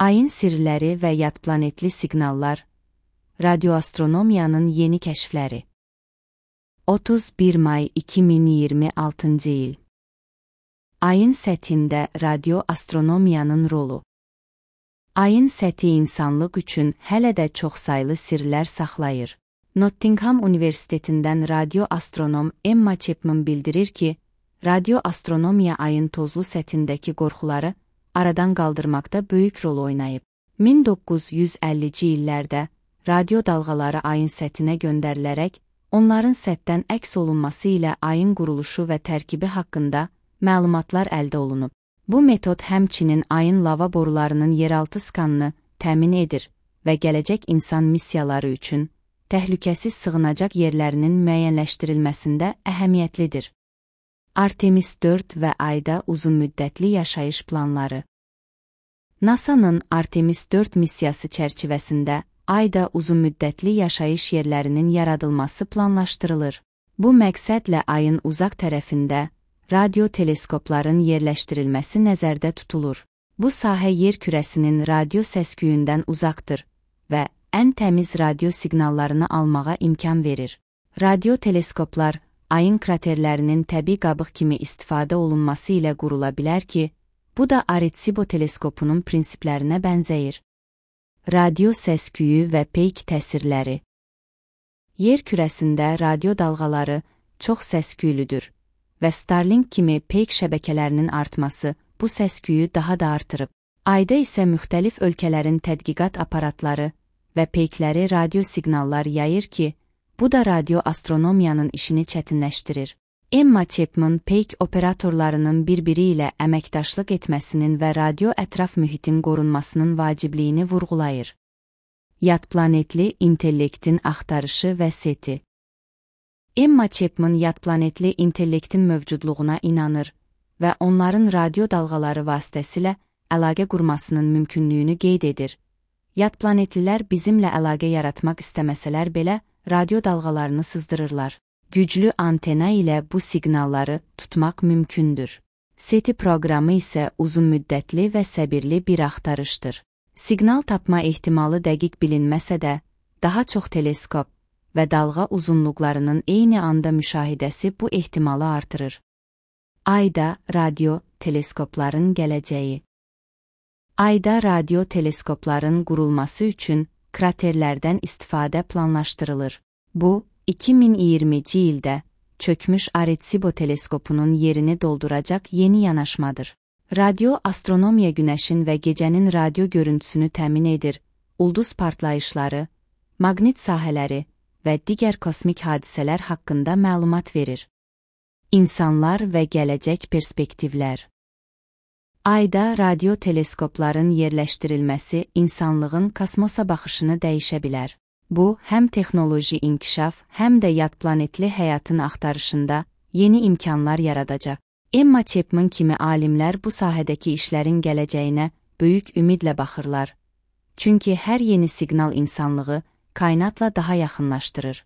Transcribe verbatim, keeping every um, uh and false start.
Ayın sirləri və yadplanetli siqnallar, radioastronomiyanın yeni kəşfləri. otuz bir may iki min iyirmi altıncı il. Ayın səthində radioastronomiyanın rolu. Ayın səthi insanlıq üçün hələ də çoxsaylı sirlər saxlayır. Nottingham Universitetindən radioastronom Emma Chapman bildirir ki, radioastronomiya ayın tozlu səthindəki qorxuları aradan qaldırmaqda böyük rol oynayıb. min doqquz yüz əllici illərdə radio dalğaları ayın səthinə göndərilərək, onların səthdən əks olunması ilə ayın quruluşu və tərkibi haqqında məlumatlar əldə olunub. Bu metod həmçinin ayın lava borularının yeraltı skanını təmin edir və gələcək insan missiyaları üçün təhlükəsiz sığınacaq yerlərinin müəyyənləşdirilməsində əhəmiyyətlidir. Artemis dörd və ayda uzunmüddətli yaşayış planları. NASA'nın Artemis dörd missiyası çərçivəsində ayda uzunmüddətli yaşayış yerlərinin yaradılması planlaşdırılır. Bu məqsədlə ayın uzaq tərəfində radio teleskopların yerləşdirilməsi nəzərdə tutulur. Bu sahə yer kürəsinin radio səs-küyündən uzaqdır və ən təmiz radio siqnallarını almağa imkan verir. Radio teleskoplar ayın kraterlərinin təbii qabıq kimi istifadə olunması ilə qurula bilər ki, bu da Arecibo teleskopunun prinsiplərinə bənzəyir. Radio səs-küyü və peyk təsirləri. Yer kürəsində radio dalğaları çox səs-küylüdür və Starlink kimi peyk şəbəkələrinin artması bu səs-küyü daha da artırıb. Ayda isə müxtəlif ölkələrin tədqiqat aparatları və peykləri radio siqnallar yayır ki, bu da radioastronomiyanın işini çətinləşdirir. Emma Chapman peyk operatorlarının bir-biri ilə əməkdaşlıq etməsinin və radio ətraf mühitin qorunmasının vacibliyini vurğulayır. Yadplanetli intellektin axtarışı və seti. Emma Chapman yadplanetli intellektin mövcudluğuna inanır və onların radio dalğaları vasitəsilə əlaqə qurmasının mümkünlüyünü qeyd edir. Yadplanetlilər bizimlə əlaqə yaratmaq istəməsələr belə radio dalğalarını sızdırırlar. Güclü antena ilə bu siqnalları tutmaq mümkündür. SETI proqramı isə uzunmüddətli və səbirli bir axtarışdır. Siqnal tapma ehtimalı dəqiq bilinməsə də, daha çox teleskop və dalğa uzunluqlarının eyni anda müşahidəsi bu ehtimalı artırır. Ayda radio teleskopların gələcəyi. Ayda radio teleskopların qurulması üçün kraterlərdən istifadə planlaşdırılır. Bu, iki min iyirminci ildə çökmüş Arecibo teleskopunun yerini dolduracaq yeni yanaşmadır. Radio astronomiya günəşin və gecənin radio görüntüsünü təmin edir, ulduz partlayışları, maqnit sahələri və digər kosmik hadisələr haqqında məlumat verir. İnsanlar və gələcək perspektivlər. Ayda radio teleskopların yerləşdirilməsi insanlığın kosmosa baxışını dəyişə bilər. Bu, həm texnoloji inkişaf, həm də yadplanetli həyatın axtarışında yeni imkanlar yaradacaq. Emma Chapman kimi alimlər bu sahədəki işlərin gələcəyinə böyük ümidlə baxırlar. Çünki hər yeni siqnal insanlığı kainatla daha yaxınlaşdırır.